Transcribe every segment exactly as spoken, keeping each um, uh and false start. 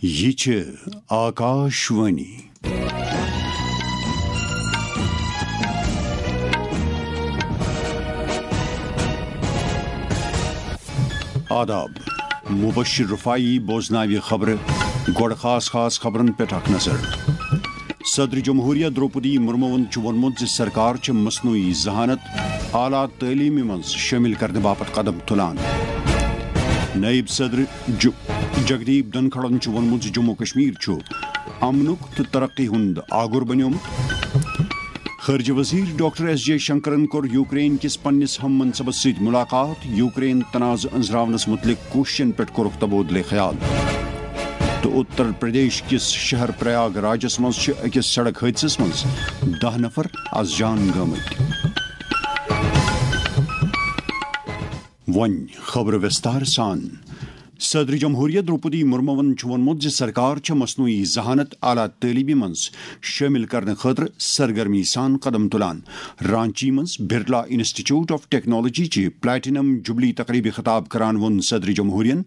یہِ چھِ آکاشوانی۔ آداب۔ مبشر رفاعی بوزناوِ خبرٕ۔ گۄڈٕ خاص خاص خبرن پٮ۪ٹھ اکھ نظر۔ صدر جمہوریہ درٛوپدی مرموَن چھُ ووٚنمُت زِ سرکار چھِ مصنوعی ذہانت اعلیٰ تعلیمہِ منٛز شٲمِل کرنہٕ باپتھ قدم تُلان۔ نائب صدر جو-، جگدیپ دھنکھڑَن چھُ ووٚنمُت زِ جموں کشمیر چھُ امنُک تہٕ ترقی ہُنٛد آگُر بنیومُت۔ خارجہ وزیر ڈاکٹر ایس جے شنکرن کوٚر یوکرین کِس پننِس ہم منصبس سۭتۍ ملاقات، یوکرین تنازٕ أنزراونس متعلق کوٗششن پٮ۪ٹھ کوٚرُکھ تبادلہ خیال۔ تہٕ اتر پردیش کِس شہر پریاگ راجس منٛز چھِ أکِس سڑک حٲدثس منٛز دَہ نفر از جان گٲمٕتۍ۔ وۄنۍ خبرٕ وِستار سان۔ صدر جمہوریہ درٛوپدی مرموَن چھُ ووٚنمُت زِ سرکار چھےٚ مصنوعی ذہانت اعلیٰ تعلیمہِ منٛز شٲمِل کرنہٕ خٲطرٕ سرگرمی سان قدم تُلان۔ رانچی منٛز برلا انسٹیٹیوٹ آف ٹیکنالوجی چہِ پلیٹینم جوبلی تقریبہِ خطاب کران ووٚن صدر جمہوریہن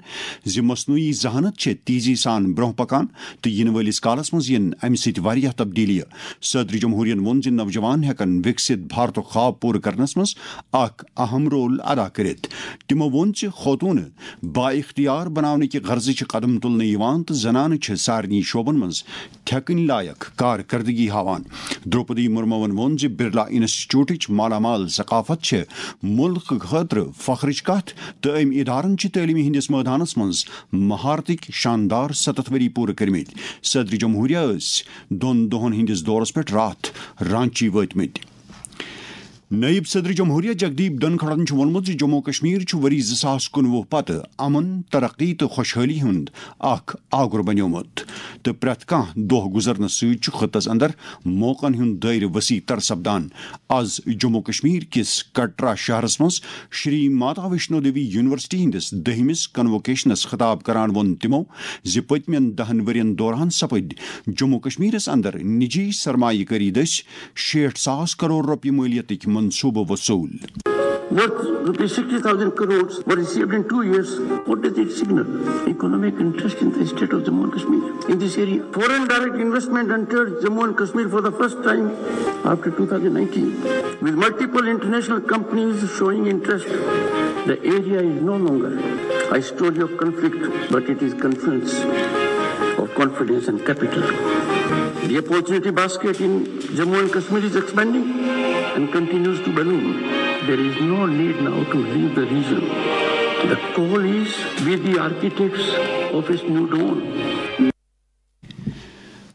زِ مصنوعی ذہانت چھےٚ تیزی سان برونٛہہ پکان تہٕ یِنہٕ وٲلِس کالس منٛز یِن امہِ سۭتۍ واریاہ تبدیلیہِ۔ صدر جمہوریہن ووٚن زِ نوجوان ہٮ۪کن وِکسِت بھارتُک خواب پوٗرٕ کرنس منٛز اکھ اہم رول ادا کٔرِتھ۔ تِمو ووٚن زِ خوتوٗنہٕ با اختیار بناونہٕ کہِ غرضہٕ چھِ قدم تُلنہٕ یِوان تہٕ زنانہٕ چھِ سارنٕے شعبن منٛز تھٮ۪کٕنۍ لایق کارکردگی ہاوان۔ درٛوپدی مرموَن ووٚن زِ برلا انسٹیٹیوٹٕچ مالا مال ثقافت چھِ مُلکہٕ خٲطرٕ فخرٕچ کتھ تہٕ أمۍ ادارن چھِ تعلیمہِ ہٕنٛدِس مٲدانس منٛز مہارتٕکۍ شاندار ستتھ ؤری پوٗرٕ کٔرمٕتۍ۔ صدر جمہوریہ ٲسۍ دۄن دۄہن ہٕنٛدِس دورس پٮ۪ٹھ راتھ رانچی وٲتمٕتۍ۔ نائب صدر جمہوریہ جگدیپ دھنکھڑَن چھُ ووٚنمُت زِ جموں کشمیر چھُ ؤری زٕ ساس کُنوُہ پتہٕ امن، ترقی تہٕ خۄشحٲلی ہُنٛد اکھ آگُر بنیومُت تہٕ پرٛٮ۪تھ کانٛہہ دۄہ گُزرنہٕ سۭتۍ چھُ خطس اندر موقعن ہُنٛد دٲیرٕ وسیع تر سپدان۔ از جموں کشمیر کِس کٹرا شہرس منٛز شری ماتا ویشنو دیوی یونیورسٹی ہٕنٛدِس دٔہمِس کنووکیشنس خطاب کران ووٚن تِمو زِ پٔتمٮ۪ن دَہن ؤرین دوران سپٕدۍ جموں کشمیرس اندر نجی سرمایہ کٲری دٔسۍ شیٹھ ساس کرور رۄپیہِ مٲلیتٕکۍ منصوٗبہٕ وصوٗل۔ Worth rupees sixty thousand crores were received in two years. What does it signal? Economic interest in the state of Jammu and Kashmir in this area. Foreign direct investment entered Jammu and Kashmir for the first time after two thousand nineteen, with multiple international companies showing interest. The area is no longer a story of conflict, but it is confluence of confidence and capital. The opportunity basket in Jammu and Kashmir is expanding and continues to balloon. There is no need now to leave the region. The call is, be the architects of its new dawn.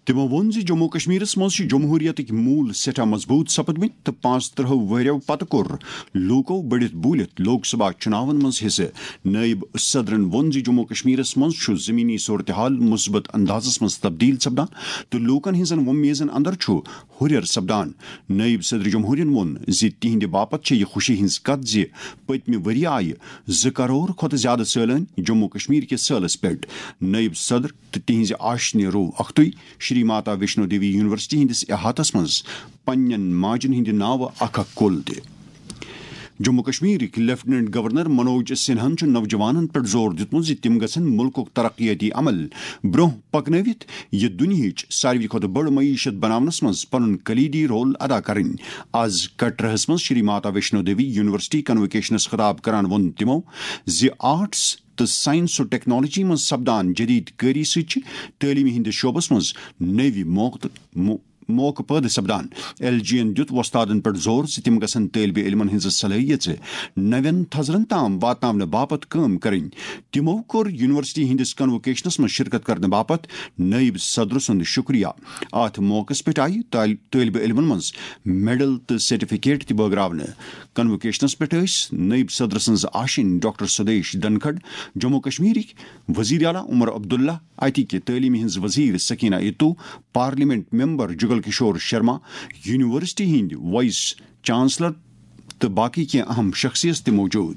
تِمو ووٚن زِ جموں کشمیرس منٛز چھِ جمہوریتٕکۍ موٗل سٮ۪ٹھاہ مضبوٗط سپٕدمٕتۍ تہٕ پانٛژترٕٛہو ؤرِیو پتہٕ کوٚر لوٗکو بٔڑِتھ بوٗلِتھ لوک سبھا چُناون منٛز حصہٕ۔ نٲیِب صدرن ووٚن زِ جموں کشمیرس منٛز چھُ زمینی صورتحال مثبت اندازس منٛز تبدیل سپدان تہٕ لوٗکن ہٕنٛزن وۄمیزن اندر چھُ ہُرٮ۪ر سپدان۔ نٲیِب صدر جمہوریہن ووٚن زِ تِہنٛدِ باپتھ چھےٚ یہِ خوشی ہٕنٛز کتھ زِ پٔتمہِ ؤرۍ یہِ آیہِ زٕ کرور کھۄتہٕ زیادٕ سٲلٲنۍ جموں کشمیر کِس سٲلس پٮ۪ٹھ۔ نٲیِب صدر تہٕ تِہنٛزِ آشنہِ روو اختُے شری ماتا ویشنو دیوی یونیورسٹی ہٕنٛدِس احاطس منٛز پننٮ۪ن ماجن ہٕنٛدِ ناوٕ اکھ اکھ کُل تہِ۔ جموں کشمیرٕکۍ لیفٹیننٹ گورنر منوج سنہاہن چھُ نوجوانن پٮ۪ٹھ زور دیُتمُت زِ تِم گژھن مُلکُک ترقیٲتی عمل برونٛہہ پکنٲوِتھ یہِ دُنیاہٕچ ساروی کھۄتہٕ بٔڑ معیشت بناونس منٛز پنُن کلیدی رول ادا کرٕنۍ۔ از کٹرہس منٛز شری ماتا ویشنو دیوی یونیورسٹی کنووکیشنس خطاب کران ووٚن تِمو زِ آرٹس تہٕ سائنس و ٹیکنالوجی منٛز سپدان جدید کٲری سۭتۍ چھِ تعلیمہِ ہٕنٛدِس شعبس منٛز نٔوۍ موقعہٕ، مو-، موقعہٕ پٲدٕ سپدان۔ ایل جی یَن دیُت وۄستادَن پٮ۪ٹھ زور زِ تِم گژھن طٲلبہِ علمَن ہٕنٛز صلٲحیژٕ نوٮ۪ن تھزرَن تام واتناونہٕ باپتھ کٲم کرٕنۍ۔ تِمَو کوٚر یونیورسٹی ہٕنٛدِس کنووکیشنَس منٛز شرکت کرنہٕ باپتھ نٲیِب صدر سُنٛد شُکریہ۔ اَتھ موقعَس پٮ۪ٹھ آیہِ طٲل-، طٲلبہِ علمَن منٛز میڈل تہٕ سرٹیفکیٹ تہِ بٲگراونہٕ۔ کنووکیشنَس پٮ۪ٹھ ٲسۍ نٲیِب صدر سٕنٛز آشِنۍ ڈاکٹر سدیش دھنکھڑ، جموں کشمیرٕکۍ وزیر اعلیٰ عمر عبداللہ، اتِکہِ تعلیمہِ ہٕنٛز وزیر سکینہ اتو، پارلیمنٹ ممبر جگل کشور شرما، یونیورسٹی ہٕنٛدۍ وائس چانسلر تہٕ باقی کینٛہہ اہم شخصیت تہِ موجود۔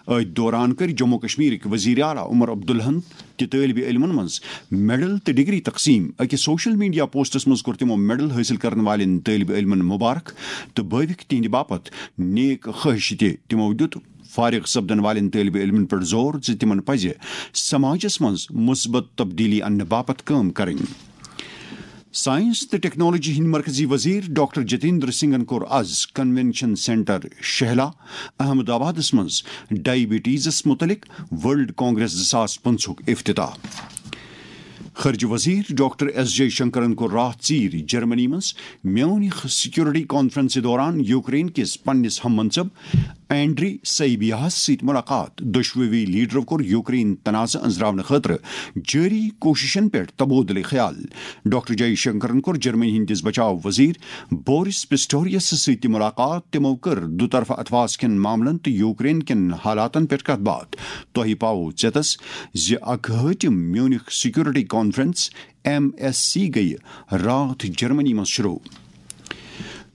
أتھۍ دوران کٔرۍ جموں کشمیرٕکۍ وزیر اعلیٰ عمر عبداللہن تہِ طٲلبہِ علمن منٛز میڈل تہٕ ڈگری تقسیم۔ أکِس سوشل میڈیا پوسٹس منٛز کوٚر تِمو میڈل حٲصِل کرن والٮ۪ن طٲلبہِ علمن مبارک تہٕ بٲوِکھ تِہنٛدِ باپتھ نیک خواہش تہِ۔ تِمو دیُت فارغ سپدن والٮ۪ن طٲلبہِ علمن پٮ۪ٹھ زور زِ تِمن پزِ سماجس منٛز مثبت تبدیلی اننہٕ باپتھ کٲم کرٕنۍ۔ ساینس تہٕ ٹیکنالوجی ہٕنٛدۍ مرکزی وزیر ڈاکٹر جتیندر سنگھن کوٚر از کنونشن سینٹر شہلا، احمد آبادس منٛز ڈائبٹیزس متعلق ورلڈ کانگریس زٕ ساس پٕنٛژٕہُک افتتاح۔ خارجہ وزیر ڈاکٹر ایس جے شنکرن کوٚر راتھ ژیٖرۍ جرمنی منٛز میونخ سیکورٹی کانفرنسہِ دوران یوکرین کِس پننِس ہم منصب اینڈری سیبیاہس سۭتۍ ملاقات۔ دۄشوٕے لیڈرو کوٚر یوکرین تنازٕ أنٛزراونہٕ خٲطرٕ جٲری کوٗششن پٮ۪ٹھ تبادلہٕ خیال۔ ڈاکٹر جے شنکرن کوٚر جرمنی ہٕنٛدِس بچاو وزیر بورس پسٹوریس سۭتۍ تہِ ملاقات۔ تِمو کٔر دُطرفہٕ اتھواس کٮ۪ن معاملن تہٕ یوکرین کٮ۪ن حالاتن پٮ۪ٹھ کتھ باتھ۔ تۄہہِ پاوو ژیتس زِ اکہٲٹھم Munich security conference, M S C, گٔیہِ راتھ جرمنی منٛز شروع۔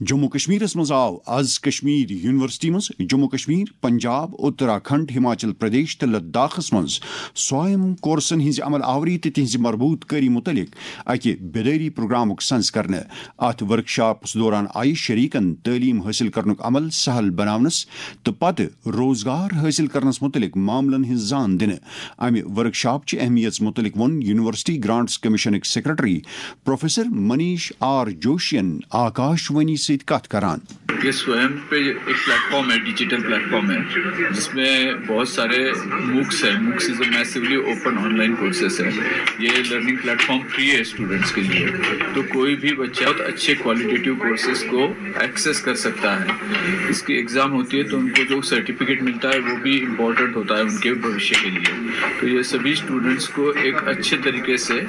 جموں کشمیرس منٛز آو از کشمیر یونیورسٹی منٛز جموں کشمیر، پنجاب، اتراکھنڈ، ہماچل پردیش تہٕ لداخس منٛز سویم کورسن ہٕنٛزِ عمل آوری تہٕ تِہنٛزِ مربوط کٲری متعلق اکہِ بیدٲری پروگرامُک سنز کرنہٕ۔ اتھ ورکشاپس دوران آیہِ شریکن تعلیم حٲصِل کرنُک عمل سہل بناونس تہٕ پتہٕ روزگار حٲصِل کرنس متعلق معاملن ہٕنٛز زان دِنہٕ۔ امہِ ورکشاپچہِ اہمیت متعلق ووٚن یونیورسٹی گرانٹس کمیشنٕکۍ سیکرٹری پروفیسر منیش آر جوشین آکاش وانی سۭتۍ کتھ کران۔ یہ سویم پہ ایک پلیٹ فارم ہے، ڈیجیٹل پلیٹ فارم ہے، جس میں بہت سارے موکس ہیں۔ MOOCs is a massively open online courses ہے۔ یہ لرننگ پلیٹ فارم فری ہے اسٹوڈنٹس کے لیے، تو کوئی بھی بچہ بہت اچھے کوالیٹیٹیو کورسز کو ایکسیس کر سکتا ہے۔ اس کی ایگزام ہوتی ہے تو ان کو جو سرٹیفکیٹ ملتا ہے وہ بھی امپورٹنٹ ہوتا ہے ان کے بھوشیہ کے لیے۔ تو یہ سبھی اسٹوڈنٹس کو ایک اچھے طریقے سے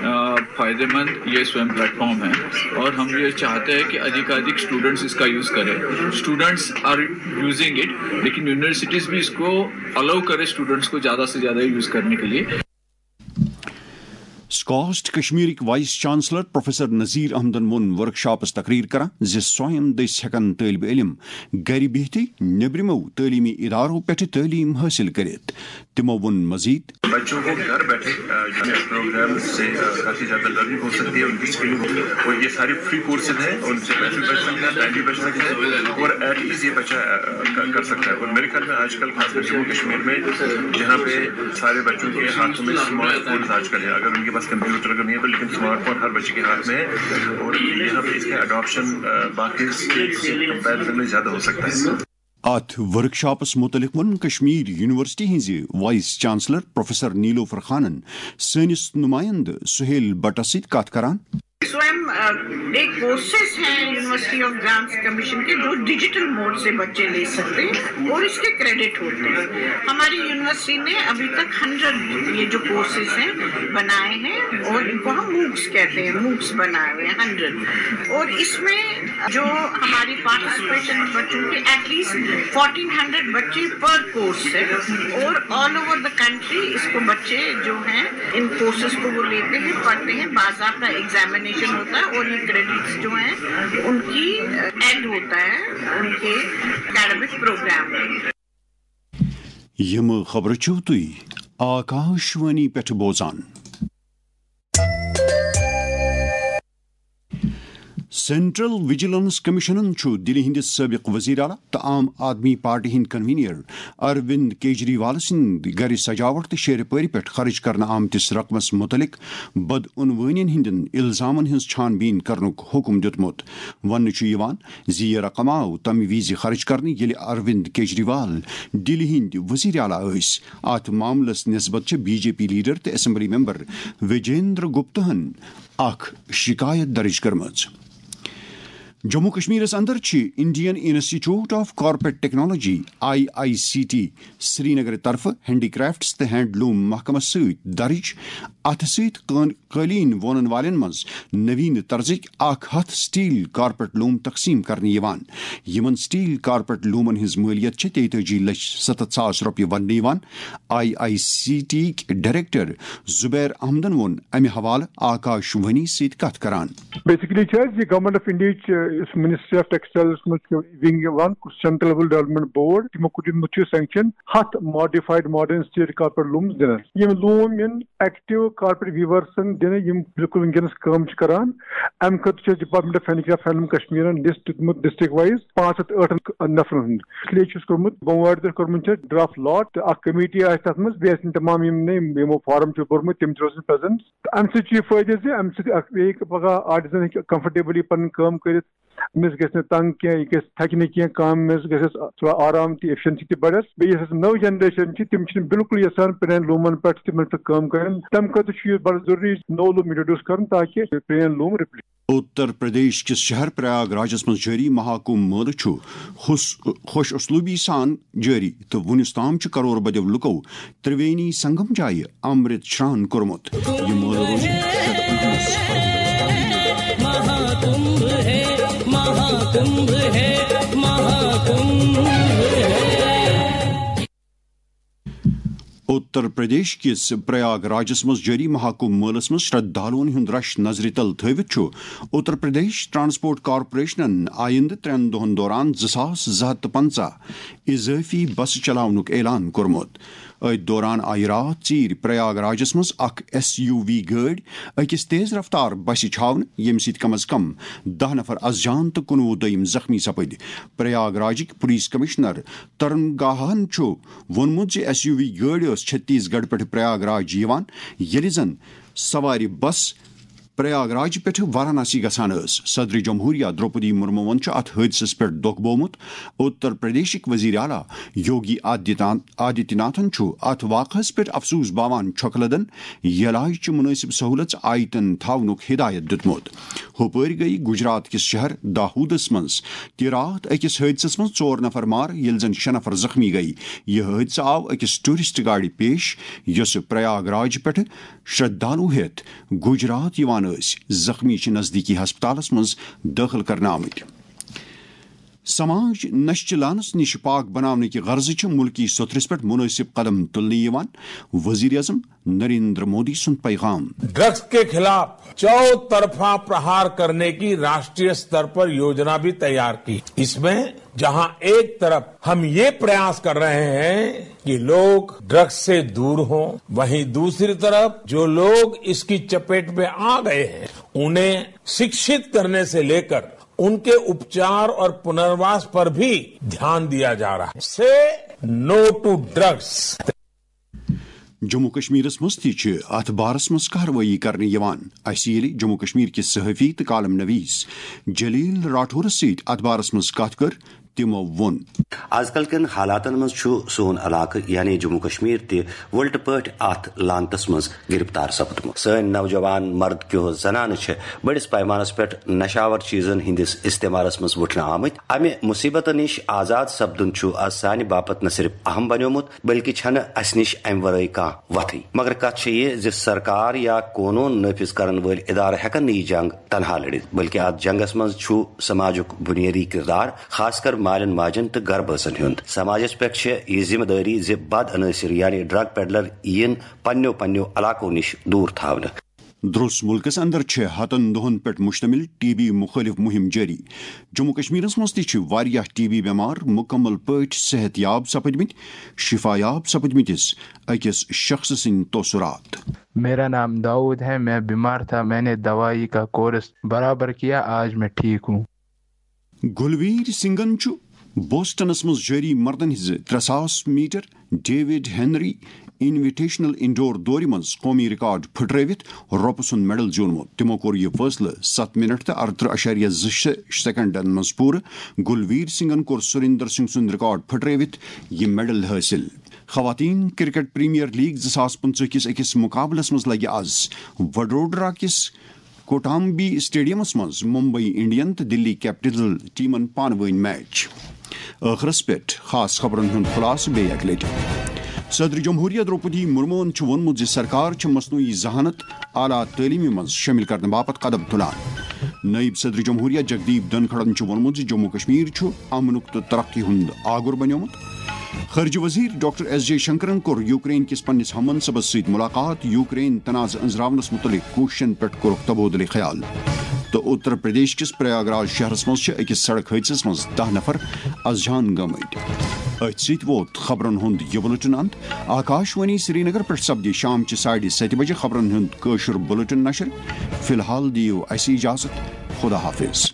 آ، فائدے مند یہ سویم پلیٹ فارم ہے، اور ہم یہ چاہتے ہیں کہ ادھیکادھک اسٹوڈنٹس اس کا یوز کریں۔ اسٹوڈنٹس آر یوزنگ اٹ، لیکن یونیورسٹیز بھی اس کو الاؤ کرے اسٹوڈنٹس کو زیادہ سے زیادہ یوز کرنے کے لیے۔ SKUAST کشمیرٕکۍ vice chancellor professor Nazir احمدن ووٚن ورکشاپس تقریر کران زِ سویم دٔسۍ ہٮ۪کن طٲلبہِ علم گرِ بِہتھٕے نیبرِمو تعلیمی ادارو پٮ۪ٹھٕ تعلیٖم حٲصِل کٔرِتھ۔ تِمو ووٚن مزید۔ بچوں کو گھر بیٹھے پروگرام سے کافی زیادہ لرننگ ہو سکتی ہے، ان کی اسکلنگ ہو، اور یہ سارے فری کورسز ہیں، ان سے پیسے بچ سکتے ہیں، ٹائم بھی بچ سکتا ہے، اور ایٹ ایز یہ بچہ کر سکتا ہے۔ اور میرے خیال میں آج کل خاص کر جموں کشمیر میں، جہاں پہ سارے بچوں کے ہاتھوں میں اسمارٹ فونز آج کل ہے، اگر ان کے پاس کمپیوٹر اگر نہیں ہے تو، لیکن اسمارٹ فون ہر بچے کے ہاتھ میں ہے، اور یہاں پہ اس کا اڈاپشن باقی اسٹیٹ سے کمپیریزن میں زیادہ ہو سکتا ہے۔ اتھ ورکشاپس متعلق ووٚن کشمیر یونیورسٹی ہٕنٛزِ وائس چانسلر پروفیسر نیلوفر خانن سٲنِس نمائندٕ سہیل بٹس سۭتۍ کتھ کران۔ سویم ڈے کورسز ہیں یونیورسٹی آف گرانٹس کمیشن کے، جو ڈیجیٹل موڈ سے بچے لے سکتے ہیں اور اس کے کریڈٹ ہوتے ہیں۔ ہماری یونیورسٹی نے ابھی تک ہنڈریڈ یہ جو کورسز ہیں بنائے ہیں، اور ان کو ہم موکس کہتے ہیں، موکس بنائے ہوئے ہیں ہنڈریڈ۔ اور اس میں جو ہماری پارٹیسپیشن بچوں کی ایٹ لیسٹ فورٹین ہنڈریڈ بچے پر کورس ہے، اور آل اوور دا کنٹری اس کو بچے جو ہیں ان کورسز کو وہ لیتے ہیں، پڑھتے ہیں، باضابطہ ایگزامینیشن ہوتا ہے، اور یہ کریڈٹس جو ہیں ان کی ایڈ ہوتا ہے ان کے اکیڈمک پروگرام میں۔ یِم خبرٕ چھِو تُہۍ آکاشوانی پٮ۪ٹھ بوزان۔ سینٹرل وجیلنس کمیشنن چھُ دِلہِ ہٕنٛدِس سٲبِق وزیر اعلیٰ تہٕ عام آدمی پارٹی ہٕنٛدۍ کنوینر اروند کیجریوال سٕنٛدِ گرِ سجاوٹ تہٕ شیرِ پٲرِ پٮ۪ٹھ خرٕچ کرنہٕ آمتِس رقمس مُتعلق بدعنوٲنین ہٕنٛدٮ۪ن الزامن ہٕنٛز چھان بیٖن کرنُک حُکم دیُتمُت۔ وننہٕ چھُ یِوان زِ یہِ رقم آو تَمہِ وِزِ خرٕچ کرنہٕ، ییٚلہِ اروند کیجریوال دِلہِ ہٕنٛدۍ وزیر اعلیٰ ٲسۍ۔ اتھ معاملس نسبت چھِ بی جے پی لیڈر تہٕ اسمبلی ممبر وجیندر گپتہن اکھ شکایت درج کٔرمٕژ۔ جموں کشمیرس اندر چھِ Indian Institute of Corporate technology, I I C T, Srinagar طرفہٕ ہینڈی کرافٹس تہٕ ہینڈلوم محکمس سۭتۍ درج اتھٕ سۭتۍ کٲن-، قٲلیٖن وونن والٮ۪ن منٛز نوین طرزٕکۍ اکھ ہتھ سٹیل کارپیٹ لوم تقسیٖم کرنہٕ یِوان۔ یِمن سٹیل کارپیٹ لومن ہٕنٛز مٲلیت چھِ تیتٲجی لچھ ستتھ ساس رۄپیہِ وننہٕ یِوان۔ آئی آئی سی ٹی یِکۍ ڈائریکٹر زبیر احمدن ووٚن امہِ حوالہٕ آکاش وانی سۭتۍ کتھ کران۔ بیسکلی چھِ اَسہِ یہِ گورنمنٹ آف انڈیاہٕچ یُس منسٹری آف ٹیکسٹائلس منٛز چھُ ونگ یِوان، سینٹرل لیول ڈیولپمنٹ بورڈ، تِمو کوٚر، یِمو چھُ سینکشن ہتھ ماڈیفایڈ ماڈرن اسٹیج کارپیٹ لومز دِنس۔ یِم لوم یِن ایکٹیو کارپیٹ ویورسن دِنہٕ، یِم بالکل وٕنکیٚنس کٲم چھِ کران۔ امہِ خٲطرٕ چھُ department of handicraft handloom کشمیرن لسٹ دیُتمُت ڈسٹرکٹ وایز پانٛژھ ہتھ ٲٹھن نفرن ہُنٛد۔ اس لیے چھُس کوٚرمُت، بۄموارِ دۄہ کوٚرمُت چھُ ڈرافٹ لاٹ، تہٕ اکھ کمیٹی آسہِ تتھ منٛز، بیٚیہِ آسن تمام یِم نہٕ یِمو فارم چھُ بوٚرمُت، تِم تہِ روزن پریزنٹ۔ تہٕ امہِ سۭتۍ چھُ یہِ فٲیدٕ زِ امہِ سۭتۍ اکھ بیٚیہِ پگاہ آرٹیزن ہیٚکہِ کمفرٹیبلی پنٕنۍ کٲم کٔرِتھ۔ أمِس گژھِ نہٕ تنگ کینٛہہ، یہِ گژھِ تھکہِ نہٕ کینٛہہ، کٲم منٛز گژھٮ۪س تھوڑا آرام تہِ، ایفیشنسی تہِ بڑٮ۪س۔ بیٚیہِ یۄس اَسہِ نٔو جنریشن چھِ، تِم چھِنہٕ بالکل یژھان پرٛانٮ۪ن لوٗمن پٮ۪ٹھ تِمن پٮ۪ٹھ کٲم کرٕنۍ۔ تَمہِ خٲطرٕ چھُ یہِ بڑٕ ضروٗری نوٚو لوٗم انٹروڈیوس کرُن، تاکہِ پرٛٲنۍ لوٗم رِپلیس۔ اتر پردیش کِس شہر پریاگ راجس منٛز جٲری مہاکمبھ مٲلہٕ چھُ حُس-، خوش اسلوبی سان جٲری تہٕ وُنیُس تام چھُ کرور بدیو لُکو ترٛوینی سنگم جایہِ امرت شران کوٚرمُت۔ یہِ مٲلہٕ روزِ شیٚتھ پنٛژاہ۔ مہاکمبھ ہے، مہاکمبھ ہے، مہاکمبھ ہے۔ اتر پردیش کِس پریاگ راجس منٛز جٲری مہاکمبھ مٲلس منٛز شردھالوٗن ہُنٛد رش نظرِ تل تھٲوِتھ چھُ اتر پردیش ٹرانسپورٹ کارپوریشنن آیندٕ ترٛٮ۪ن دۄہن دوران زٕ ساس زٕ ہتھ تہٕ پنٛژاہ اضٲفی بسہٕ چلاونُک اعلان کوٚرمُت۔ أتھۍ دوران آیہِ راتھ ژیٖرۍ پریاگ راجس منٛز اکھ ایس یو وی گٲڑۍ أکِس تیز رفتار بسہِ چھاونہٕ، ییٚمہِ سۭتۍ کم از کم دَہ نفر از جان تہٕ کُنوُہ دوٚیِم زخمی سپٕدۍ۔ پریاگ راجٕکۍ پُلیٖس کمشنر ترن گاہن چھُ ووٚنمُت زِ ایس یو وی گٲڑۍ ٲس چھتیس گڑھ پٮ۪ٹھٕ پریاگ راج یِوان، ییٚلہِ زن سوارِ بس پریاگ راج پٮ۪ٹھٕ واراناسی گژھان ٲس۔ صدر جمہوریہ درٛوپدی مرموٗوَن چھُ اَتھ حٲدثَس پٮ۪ٹھ دۄکھ بوومُت۔ اُتر پردیشٕکۍ وزیر اعلیٰ یوگی آدتیہ ناتھ، آدتیہ ناتھن چھُ اَتھ واقعس پٮ۪ٹھ افسوس باوان چھۄکہٕ لدن یلاج چہِ مُنٲسِب سہوٗلژ آیتن تھاونُک ہدایت دِیُتمُت۔ ہُپٲرۍ گٔیہِ گجرات کِس شہر داہودس منٛز تہِ راتھ أکِس حٲدثس منٛز ژور نفر مارٕ، ییٚلہِ زن شےٚ نفر زخمی گٔیہِ۔ یہِ حٲدثہٕ آو أکِس ٹوریسٹ گاڑِ پیش، یۄسہٕ پریاگ راج پٮ۪ٹھٕ شردھالو ہیتھ گجرات یوان ٲسۍ۔ زخمی چھِ نزدیکی ہسپتالس منٛز دٲخل کرنہٕ آمٕتۍ۔ سماج نشچہِ لانس نِش پاک بناونہٕ کہِ غرضہٕ چھِ مُلکی سوٚتھرِس پٮ۪ٹھ مُنٲسِب قدم تُلنہٕ یِوان، وزیر اعظم نریندر مودی سُنٛد پیغام۔ ڈرگس کے خلاف چوطرفہ پرہار کرنے کی راشٹریہ استر پر یوجنا بھی تیار کی۔ اس میں جہاں ایک طرف ہم یہ پریاس کر رہے ہیں کہ لوگ ڈرگس سے دور ہوں، وہیں دوسری طرف جو لوگ اس کی چپیٹ میں آ گئے ہیں، انہیں شکشت کرنے سے لے کر ان کے اپچار اور پنرواس پر بھی دھیان دیا جا رہا ہے۔ سے نو ٹو ڈرگس۔ جموں کشمیرس منٛز تہِ چھِ اتھ بارس منٛز کاروٲیی کرنہٕ یِوان۔ اسہِ ییٚلہِ جموں کشمیر کِس صحافی تہٕ کالم نویس جلیل راٹھورس سۭتۍ اتھ بارس منٛز کتھ کٔر، تِمو ووٚن۔ آز کل کٮ۪ن حالاتن منٛز چھُ سون علاقہٕ یعنی جموں کشمیر تہِ وٕلٹہٕ پٲٹھۍ اتھ لعنتس منٛز گرفتار سپدمُت۔ سٲنۍ نوجوان مرد کیو زنانہٕ چھِ بٔڑِس پیمانس پٮ۪ٹھ نشاور چیزن ہٕنٛدِس استعمالس منٛز وُٹھنہٕ آمٕتۍ۔ امہِ مصیبتہٕ نِش آزاد سپدُن چھُ از سانہِ باپتھ نہ صرف اہم بنیومُت، بلکہ چھنہٕ اسہِ نِش امہِ ورٲے کانٛہہ وتھٕے۔ مگر کتھ چھےٚ یہِ زِ سرکار یا قونوٗن نٲفذ کرن وٲلۍ ادارٕ ہٮ۪کن نہٕ یہِ جنگ تنہا لڑِتھ، بلکہ اتھ جنگس منٛز چھُ سماجُک بنیٲدی کردار، خاص کر مالٮ۪ن ماجن تہٕ گرٕ بٲژن ہُنٛد۔ سماجس پٮ۪ٹھ چھےٚ یہِ ذمہٕ دٲری زِ بد عنٲصر یعنی ڈرگ پیڈلر یِن پننیو پننیو علاقو نِش دوٗر تھاونہٕ۔ درٛوس مُلکس اندر چھِ ہتن دۄہن پٮ۪ٹھ مشتمل ٹی بی مُخٲلف مُہِم جٲری۔ جموں کشمیرس منٛز تہِ چھِ واریاہ ٹی بی بٮ۪مار مُکمل پٲٹھۍ صحت یاب سپٕدمٕتۍ۔ شفا یاب سپٕدمٕتِس أکِس شخص سٕنٛدۍ تٲثرات۔ میرا نام داؤد ہے، میں بیمار تھا، میں نے دوائی کا کورس برابر کیا، آج میں ٹھیک ہوں۔ گلویر سنگھن چھُ بوسٹنس منٛز جٲری مردن ہٕنٛزِ ترٛےٚ ساس میٹر ڈیوڈ ہنری انویٹیشنل انڈور دورِ منٛز قومی ریکارڈ پھٕٹرٲوِتھ رۄپہٕ سُنٛد میڈل زیوٗنمُت۔ تِمو کوٚر یہِ فٲصلہٕ ستھ منٹ تہٕ ارترٕہ اعشاریہ زٕ شےٚ سیکنڈن منٛز پوٗرٕ۔ گلویر سنگھن کوٚر سُریندر سنگھ سُنٛد ریکارڈ پھٕٹرٲوِتھ یہِ میڈل حٲصِل۔ خواتین کرکٹ پریمیئر لیگ زٕ ساس پٕنٛژٕہ کِس أکِس مُقابلَس منٛز لَگہِ آز وڈودرا کِس کوٹامبی اسٹیڈیمَس منٛز ممبئی انڈین تہٕ دلی کیپٹل ٹیمَن پانہٕ ؤنۍ میچ۔ ٲخرَس پٮ۪ٹھ خاص خبرَن ہُنٛد خلاصہٕ بیٚیہِ اَکہِ لَٹہِ۔ صدر جمہوریہ درٛوپدی مرموَن چھُ ووٚنمُت زِ سرکار چھِ مصنوعی ذہانت اعلیٰ تعلیمہِ منٛز شٲمِل کرنہٕ باپتھ قدم تُلان۔ نٲیِب صدر جمہوریہ جگدیپ دھنکھڑَن چھُ ووٚنمُت زِ جموں کشمیر چھُ امنُک تہٕ ترقی ہُنٛد آگُر بنیومُت۔ خارجہ وزیر ڈاکٹر ایس جے شنکرن کوٚر یوکرین کِس پننِس ہم منصبس سۭتۍ ملاقات، یوکرین تنازٕ أنزراونس مُتعلق کوٗششن پٮ۪ٹھ کوٚرُکھ تبادلہ خیال۔ تہٕ اتر پردیش کِس پریاگ راج شہرس منٛز چھِ أکِس سڑک حٲدثس منٛز دَہ نفر از جان گٔمٕتۍ۔ أتھۍ سۭتۍ ووت خبرن ہُنٛد یہِ بُلٹن اند۔ آکاش وانی سرینگر پٮ۪ٹھ سپدِ شام چہِ ساڑِ ستہِ بجہِ خبرن ہُنٛد کٲشُر بُلٹن نشر۔ فی الحال دِیِو اسہِ اجازت۔ خدا حافظ۔